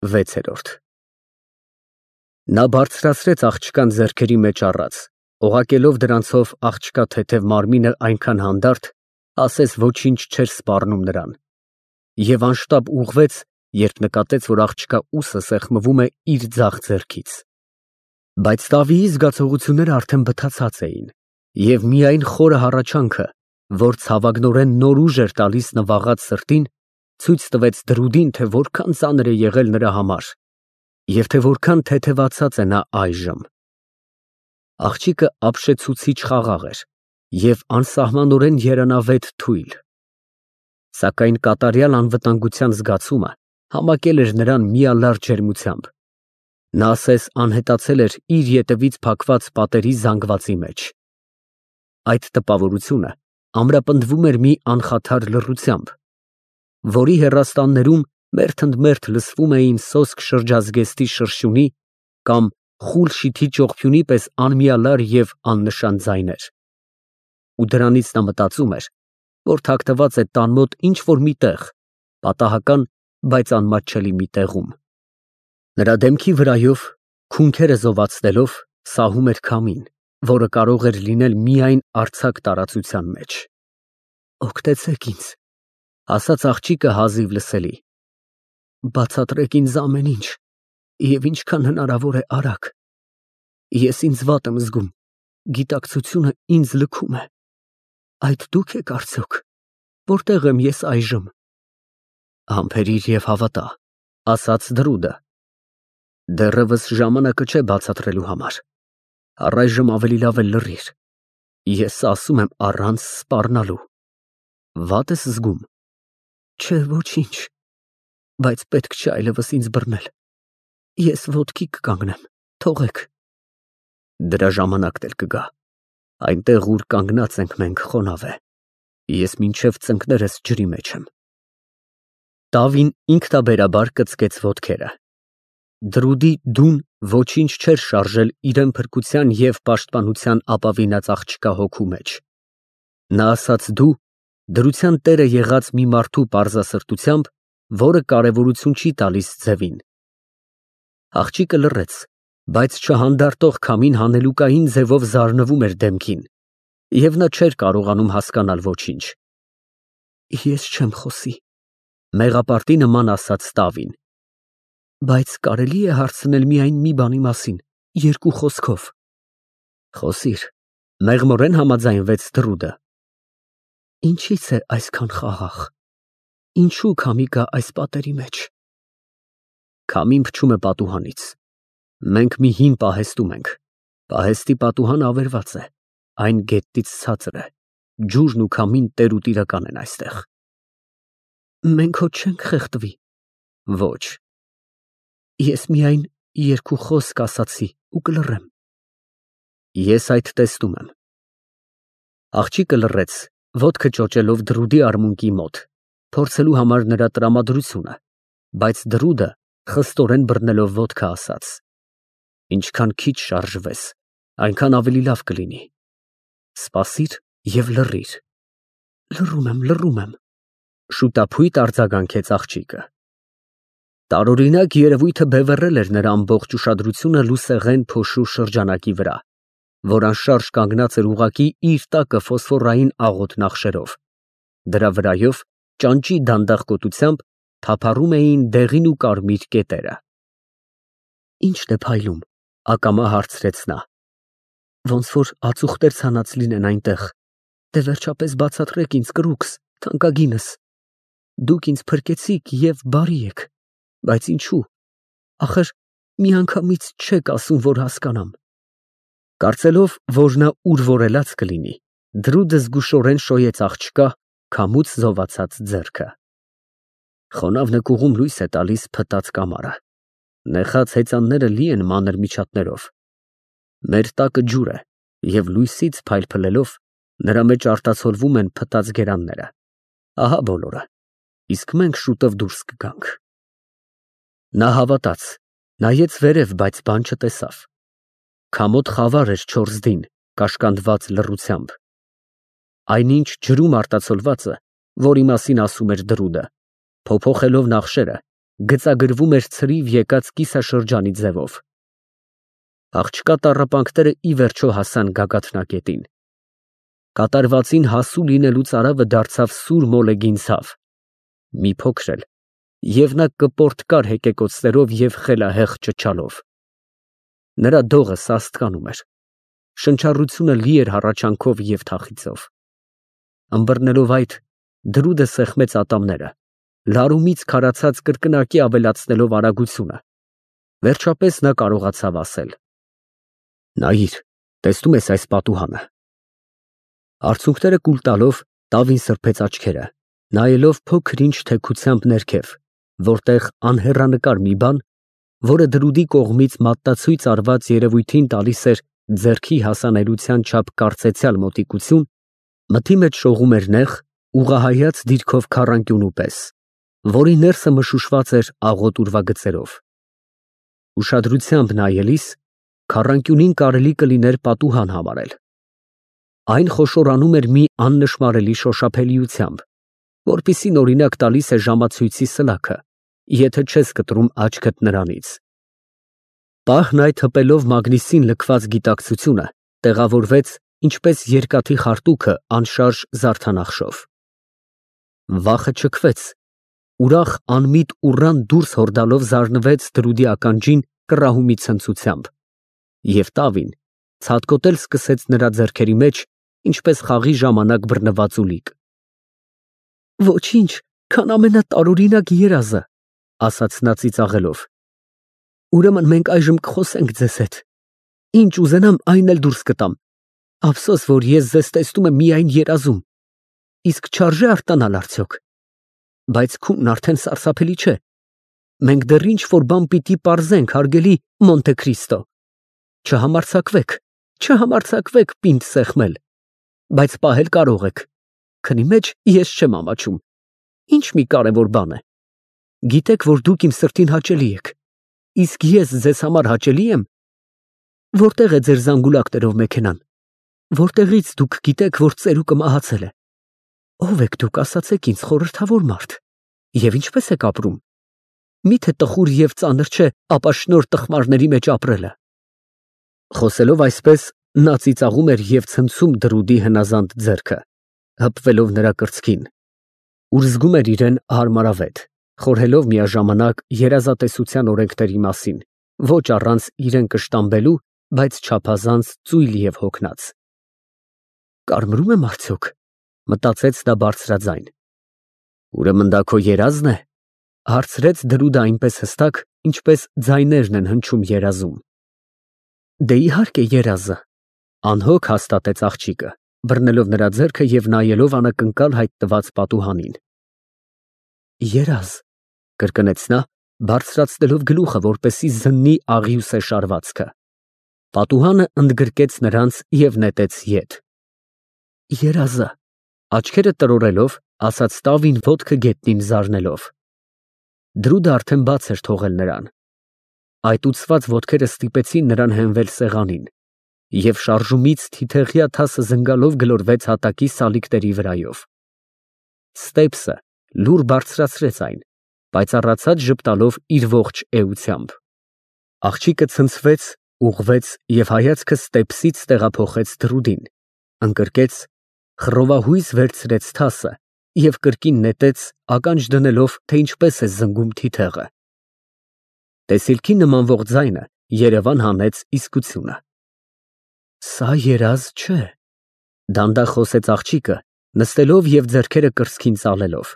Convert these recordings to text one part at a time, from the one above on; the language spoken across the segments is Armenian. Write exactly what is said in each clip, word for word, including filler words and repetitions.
վեցերորդ Նա բարձրացրեց աղջկան ձեռքերի մեջ առած, օղակելով դրանցով աղջկա թեթև մարմինը այնքան հանդարտ, ասես ոչինչ չէր սպառնում նրան, և անշտապ ուղղվեց, երբ նկատեց, որ աղջկա ուսը սեղմվում է իր ձախ ձեռքից. բայց Դավիի զգացողությունները արդեն բթացած էին, և միայն խորը հառաչանքը, որ ցավագնորեն նոր ուժ էր տալիս նվաղած սրտին, ցույց տվեց դրուդին, թե որքան ծանր է եղել նրա համար, և թե որքան թեթևացած է նա այժմ։ Աղջիկը ապշեցուցիչ խաղաղ էր և անսահմանորեն երանավետ թույլ, սակայն կատարյալ անվտանգության զգացումը համակել էր նրան միալար ջերմությամբ, նա ասես անհետացել էր իր ետևից փակված պատերի զանգվածի մեջ։ Այդ տպավորությունը ամրապնդվում էր մի անխաթար լռությամբ, որի հեռաստաններում մերթընդմերթ լսվում էին սոսկ շրջազգեստի շրշյունի կամ խուլ շիթի ճողփյունի պես անմիալար և աննշան ձայներ, ու դրանից նա մտածում էր, որ թաքնված է տան մոտ ինչ֊որ մի տեղ, պատահական, բայց անմատչելի մի տեղում։ Նրա դեմքի վրայով, քունքերը զովացնելով, սահում էր քամին, որը կարող էր լինել միայն արձակ տարածության մեջ։ «Օգնեցեք ինձ», ֊ ասաց աղջիկը հազիվ լսելի, «բացատրեք ինձ ամեն ինչ և ինչքան հնարավոր է արագ։ Ես ինձ վատ եմ զգում, գիտակցությունը ինձ լքում է։ Այդ դու՞ք եք արդյոք, որտե՞ղ եմ ես այժմ»։ «Համբերիր և հավատա», ֊ ասաց Դրուդը, «դեռևս ժամանակը չէ բացատրելու համար, առայժմ ավելի լավ է լռիր, ես ասում եմ առանց սպառնալու։ Վա՞տ ես զգում»։ «Չէ, ոչինչ, բայց պետք չէ այլևս ինձ բռնել, ես ոտքի կկանգնեմ, թողեք»։ «Դրա ժամանակն էլ կգա, այնտեղ, ուր կանգնած ենք մենք, խոնավ է, ես մինչև ծնկներս ջրի մեջ եմ»։ Տավին ինքնաբերաբար կծկեց ոտքերը։ Դրուդի դուն ոչինչ չէր շարժել իրան փրկության և պաշտպանության ապավինած աղջկա հոգու մեջ։ Նա ասաց «դու» դրության տերը եղած մի մարդու պարզասրտությամբ, որը կարևորություն չի տալիս ձևին։ Աղջիկը լռեց, բայց չհանդարտող քամին հանելուկային ձևով զարնվում էր դեմքին, և նա չէր կարողանում հասկանալ ոչինչ։ «Ես չեմ խոսի», ֊ մեղապարտի նման ասաց Տավին, «բայց կարելի է հարցնել միայն մի բանի մասին, երկու խոսքով»։ «Խոսիր», ֊ մեղմորեն համաձայնվեց Դրուդը։ «Ինչի՞ց է այսքան խաղաղ, ինչո՞ւ քամի կա այս պատերի մեջ»։ «Քամին փչում է պատուհանից, մենք մի հին պահեստում ենք, պահեստի պատուհանը ավերված է, այն գետնից ցածր է, ջուրն ու քամին տեր ու տիրական են այստեղ»։ «Մենք հո չենք խեղդվի»։ «Ոչ»։ «Ես միայն երկու խոսք ասացի ու կլռեմ»։ «Ես այդ տեսնում եմ»։ Աղջիկը լռեց, ոտքը ճոճելով Դրուդի արմունկի մոտ, փորձելու համար նրա տրամադրությունը, բայց Դրուդը խստորեն բռնելով ոտքը ասաց. «Ինչքան քիչ շարժվես, այնքան ավելի լավ կլինի։ Սպասիր և լռիր»։ «Լռում եմ, լռում եմ», ֊ շուտափույթ արձագանքեց աղջիկը։ Տարօրինակ երևույթը բևեռել էր նրա ամբողջ ուշադրությունը լուսեղեն փոշու շրջանակի վրա, որ անշարժ կանգնած էր ուղղակի իր տակը ֆոսֆորային աղոտ նախշերով։ Դրա վրայով ճանճի դանդաղ կոտությամբ թափառում էին դեղին ու կարմիր կետերը։ «Ի՞նչն է փայլում», ֊ ակամա հարցրեց նա։ «Ոնց որ ածուխտեր ցանած լինեն այնտեղ, դե վերջապես բացատրեք ինձ, կրուքս, թանկագինս։ Դուք ինձ փրկեցիք և բարի եք, բայց ինչո՞ւ, ախր միանգամից չեք ասում, որ հասկանամ»։ Կարծելով, որ նա ուրվորելաց կլինի, Դրուդը զգուշորեն շոյեց աղջկա քամուց զովացած ձեռքը։ «Խոնավ նկուղում լույս է տալիս փտած կամարը, նեխած հեծանները լի են մանր միջատներով։ Մեր տակը ջուր է, և լույսից փայլփլելով նրա մեջ արտացոլվում են փտած գերանները։ Ահա բոլորը, իսկ մենք շուտով դուրս կգանք»։ Նա հավատաց, նայեց վերև, բայց բան չտեսավ։ Քամոտ խավար էր չորսդին, կաշկանդված լռությամբ։ Այնինչ ջրում արտացոլվածը, որի մասին ասում էր Դրուդը, փոփոխելով նախշերը, գծագրվում էր ցրիվ եկած կիսաշրջանի ձևով։ Աղջկա տառապանքները ի վերջո հասան գագաթնակետին։ Կատարվածին հասու լինելուց արավը դարձավ սուր մոլեգին ցավ, մի փոքր էլ, և նա կպորտկար հեկեկոցներով և խելահեղ ճչալով։ Նրա դողը սաստկանում էր, շնչառությունը լի էր հառաչանքով և թախիծով։ Ըմբռնելով այդ, դրուդը սեղմեց ատամները, լարումից քարացած կրկնակի ավելացնելով արագությունը, վերջապես նա կարողացավ ասել. «Նայիր, տեսնո՞ւմ ես այս պատուհանը»։ Արցունքները կուլ տալով, Տավին սրբեց աչքերը, նայելով փոքր-ինչ թեքությամբ ներքև, որտեղ անհեռանկար մի բան, որը դրուդի կողմից մատնացույց արված երևույթին տալիս էր ձեռքի հասանելիության չափ կարծեցյալ մոտիկություն, մթի մեջ շողում էր նեղ, ուղղահայաց դիրքով քառանկյունու պես, որի ներսը մշուշված էր աղոտ ուրվագծերով։ Ուշադրությամբ նայելիս, քառանկյունին կարելի կլիներ պատուհան համարել։ Այն խոշորանում էր մի աննշմարելի շոշափելիությամբ, որպիսին օրինակ տալիս է ժամացույցի սլաքը, եթե չես կտրում աչքդ նրանից։ Պահն այդ հպելով մագնիսին լքված գիտակցությունը տեղավորվեց, ինչպես երկաթի խարտուքը անշարժ զարդանախշով։ Վախը չքվեց, ուրախ անմիտ ուռան դուրս հորդալով զարնվեց դրուդի ականջին կռահումի ցնծությամբ, և Տավին ցատկոտել սկսեց նրա ձեռքերի մեջ, ինչպես խաղի ժամանակ բռնված ուլիկ։ «Ոչինչ, քան ամենատարօրինակ երազը», ասաց նա ծիծաղելով։ «Ուրեմն մենք այժմ կխոսենք ձեզ հետ, ինչ ուզենամ, այն էլ դուրս կտամ, ափսոս, որ ես ձեզ տեսնում եմ միայն երազում, իսկ չարժե արտանալ արդյոք։ Բայց քունն արդեն սարսափելի չէ, մենք դեռ ինչ֊որ բան պիտի պարզենք, հարգելի Մոնտե Քրիստո։ Չհամարձակվեք, չհամարձակվեք պինդ սեղմել, բայց պահել կարող եք, քնի մեջ ես չեմ ամաչում, ինչ մի կարևոր բան է։ Գիտեք, որ դուք իմ սրտին հաճելի եք, իսկ ես ձեզ համար հաճելի եմ։ Որտեղ է ձեր զանգուլակներով մեքենան, որտեղից դուք գիտեք, որ ծերուկը մահացել է։ Ո՞վ եք դուք, ասացեք ինձ, խորհրդավոր մարդ, և ինչպես եք ապրում։ Միթե տխուր և ծանր չէ ապաշնորհ տխմարների մեջ ապրելը։ Խոսելով այսպես, նա ծիծաղում էր և ցնցում դրուդի հնազանդ ձեռքը, հպվելով նրա կրծքին, ուր զգում էր իրեն հարմարավետ, խորհելով միաժամանակ երազատեսության օրենքների մասին, ոչ առանց իրեն կշտամբելու, բայց չափազանց ծույլ և հոգնած։ «Կարմրում եմ արդյոք», մտածեց նա բարձրաձայն։ «Ուրեմն դա քո երազն է», հարցրեց դրուդը այնպես հստակ, ինչպես ձայներն են հնչում երազում։ «Դե իհարկե երազը», անհոգ հաստատեց աղջիկը, բռնելով նրա ձեռքը և նայելով անակնկալ հայտնված պատուհանին։ «Երազ», կրկնեց նա, բարձրացնելով գլուխը, որպեսզի զննի աղյուսե շարվածքը։ Պատուհանը ընդգրկեց նրանց և նետեց ետ։ «Երազը», աչքերը տրորելով, ասաց Տավին ոտքը գետնին զարնելով։ Դրուդը արդեն բաց էր թողել նրան։ Այտուցված ոտքերը ստիպեցին նրան հենվել սեղանին, և շարժումից թիթեղյա թասը զնգալով գլորվեց հատակի սալիկների վրայով։ Ստեպսը լուռ բարձրացրեց այն, պայծառացած ժպտալով իր ողջ էությամբ։ Աղջիկը ցնցվեց, ուղղվեց և հայացքը ստեպսից տեղափոխեց դրուդին, ընկրկեց, խռովահույս վերցրեց թասը և կրկին նետեց, ականջ դնելով, թե ինչպես է զնգում թիթեղը։ Տեսիլքի նմանվող ձայնը երևան հանեց իսկությունը։ «Սա երազ չէ», դանդաղ խոսեց աղջիկը, նստելով և ձեռքերը կրծքին ծալելով,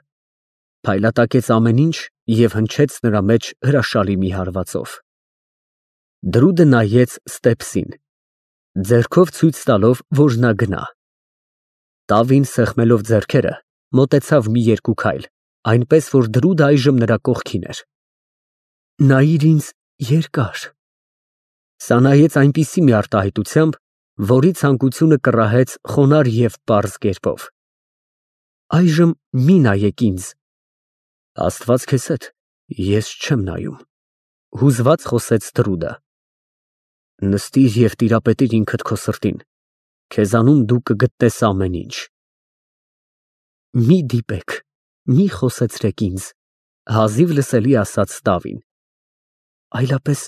փայլատակեց ամեն ինչ և հնչեց նրա մեջ հրաշալի մի հարվածով։ Դրուդը նայեց ստեպսին, ձեռքով ցույց տալով, որ նա գնա։ Տավին սեղմելով ձեռքերը, մոտեցավ մի երկու քայլ, այնպես որ դրուդը այժմ նրա կողքին էր։ «Նայիր ինձ երկար»։ Սա նայեց այնպիսի մի արտահայտությամբ, որի ցանկությունը կռահեց խոնարհ և պարզ կերպով։ «Այժմ մի նայեք ինձ»։ «Աստված քեզ հետ, ես չեմ նայում», հուզված խոսեց դրուդը։ «Նստիր և տիրապետիր ինքդ քո սրտին, քեզանում դու կգտնես ամեն ինչ»։ «Մի դիպեք, մի խոսեցրեք ինձ», Հազիվ լսելի ասաց տավին։ Այլապես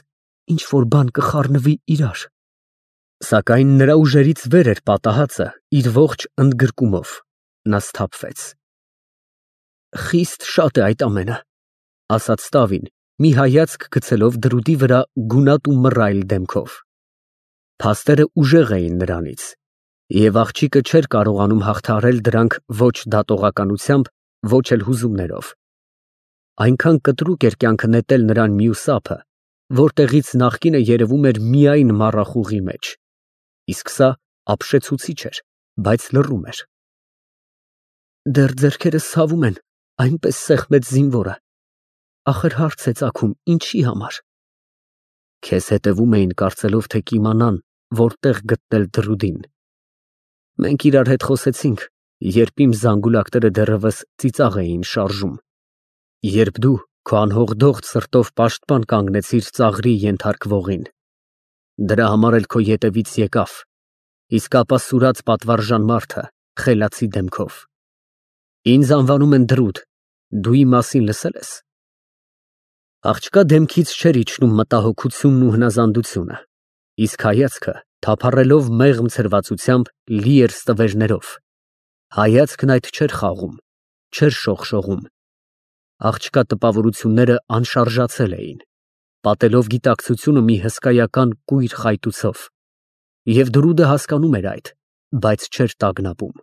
ինչ որ բան կխառնվի իրար։ Սակայն նրա ուժերից վեր էր պատահածը իր ողջ ընդգրկումով։ Նա սթափվեց։ Խիստ շատ է այդ ամենը, ասաց տավին, մի հայացք գցելով դրուդի վրա գունատ ու մռայլ դեմքով։ Փաստերը ուժեղ էին նրանից, և աղջիկը չէր կարողանում հաղթահարել դրանք ոչ դատողականությամբ, ոչ էլ հուզումներով։ Այնքան կտրուկ էր կյանքը նետել նրան մյուս ափը, որտեղից նախկինը երևում էր միայն մառախուղի մեջ, իսկ սա ապշեցուցիչ էր, բայց լռում էր։ Դեռ ձեռքերս ցավում են, այնպես սեղմեց զինվորը։ Ախր հարց է ծագում, ինչի համար։ Քեզ հետևում էին, կարծելով, թե կիմանան, որտեղ գտնել դրուդին։ Մենք իրար հետ խոսեցինք, երբ իմ զանգուլակները դեռևս ծիծաղ էին շարժում, երբ դու քո անհողդողջ սրտով պաշտպան կանգնեցիր ծաղրի ենթարկվողին։ Դրա համար էլ քո ետևից եկավ, իսկ ապա սուրաց պատվարժան մարդը խելացի դեմքով։ Ինձ անվանում են Դրուդ, դու իմ մասին լսե՞լ ես։ Աղջկա դեմքից չէր իջնում մտահոգությունն ու հնազանդությունը, իսկ հայացքը, թափառելով մեղմ ցրվածությամբ, լի էր ստվերներով։ Հայացքն այդ չէր խաղում, չէր շողշողում։ Աղջկա տպավորությունները անշարժացել էին, պատելով գիտակցությունը մի հսկայական կույր խայտուցով, և Դրուդը հասկանում էր այդ, բայց չէր տագնապում։